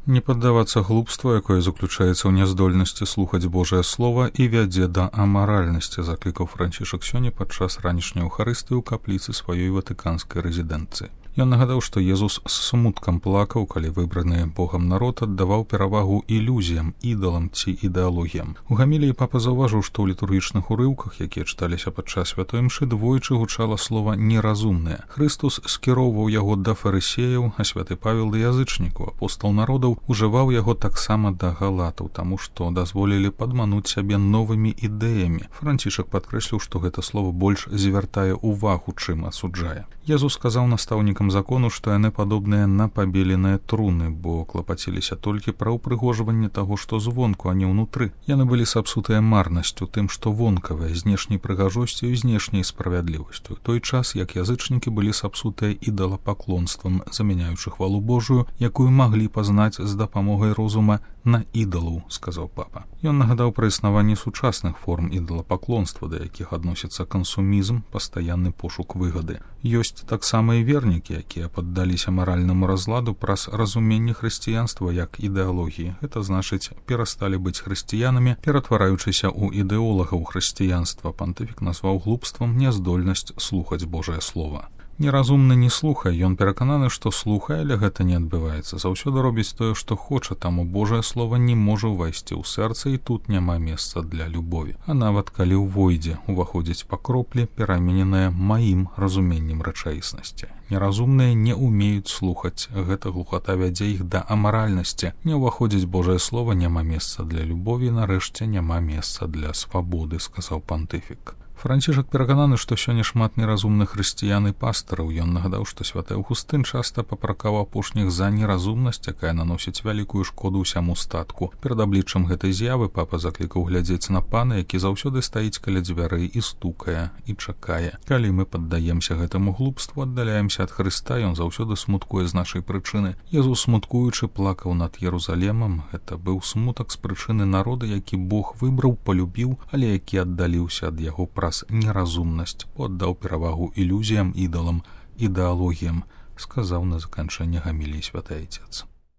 Не паддавацца глупству, якое заключаецца ў няздольнасці слухаць Божае Слова і вядзе да амаральнасці, заклікаў Францішак сёння падчас ранішняй эўхарыстыі ў капліцы сваёй ватыканскай рэзідэнцыі. Ён нагадаў, што Езус з смуткам плакаў, калі выбраны Богам народ аддаваў перавагу ілюзіям, ідалам ці ідэалогіям. У гаміліі папа заўважыў, што ў літургічных урыўках, якія чыталіся падчас святой імшы, двойчы гучала слова «неразумныя». Хрыстус скіроўваў яго да фарысеяў, а святы Павел да язычнікаў. Апостал народаў ужываў яго таксама да галатаў, таму што дазволілі падмануць сябе новымі ідэямі. Францішак падкрэсліў, што гэта слова больш звяртае ўвагу, чым асуджае. Езус сказаў настаўнікам закону, што яны падобныя на пабеленыя труны, бо клапаціліся толькі пра ўпрыгожванне таго, што звонку, а не ўнутры. Яны былі сапсутыя марнасцю, тым, што вонкавая, знешняй прыгажосцю і знешняй справядлівасцю. Той час, як язычнікі былі сапсутыя ідалапаклонствам, замяняючы хвалу Божую, якую маглі пазнаць з дапамогай розума, на ідалаў, сказаў папа. Ён нагадаў пра існаванне сучасных форм ідалапаклонства, да якіх адносіцца кансумізм, пастаянны пошук выгады. Ёсць таксама і вернікі, якія паддаліся маральнаму разладу праз разуменне хрысціянства як ідэалогіі. Гэта значыць, перасталі быць хрысціянамі, ператвараючыся ў ідэолагаў хрысціянства. Пантыфік назваў глупствам няздольнасць слухаць Божае Слова. Неразумны не слухае, ён перакананы, што слухае, але гэта не адбываецца. Заўсёды робіць тое, што хоча, таму Божае Слова не можа ўвайсці ў сэрца, і тут няма месца для любові. А нават калі ўвойдзе, уваходзіць па кроплі, перамененае маім разуменнем рэчаіснасці. Неразумныя не ўмеюць слухаць, гэта глухата вядзе іх да амаральнасці. Не ўваходзіць Божае Слова, няма месца для любові, нарэшце няма месца для свабоды, сказаў пантыфік. Францішак перакананы, што сёння шмат неразумных хрысціян і пастараў. Ён нагадаў, што святы Аўгустын часта папракаў апошніх за неразумнасць, якая наносіць вялікую шкоду ўсяму статку. Перад абліччам гэтай з'явы папа заклікаў глядзець на пана, які заўсёды стаіць каля дзвярэй і стукае, і чакае. Калі мы паддаемся гэтаму глупству, аддаляемся ад Хрыста, ён заўсёды смуткуе з нашай прычыны. Езус, смуткуючы, плакаў над Єрусалемам. Гэта быў смутак з прычыны народа, які Бог выбраў, палюбіў, але які аддаліўся ад яго праз неразумнасць, аддаў перавагу ілюзіям, ідалам, ідэалогіям, сказаў на заканчэнне гаміліі святы Айцец.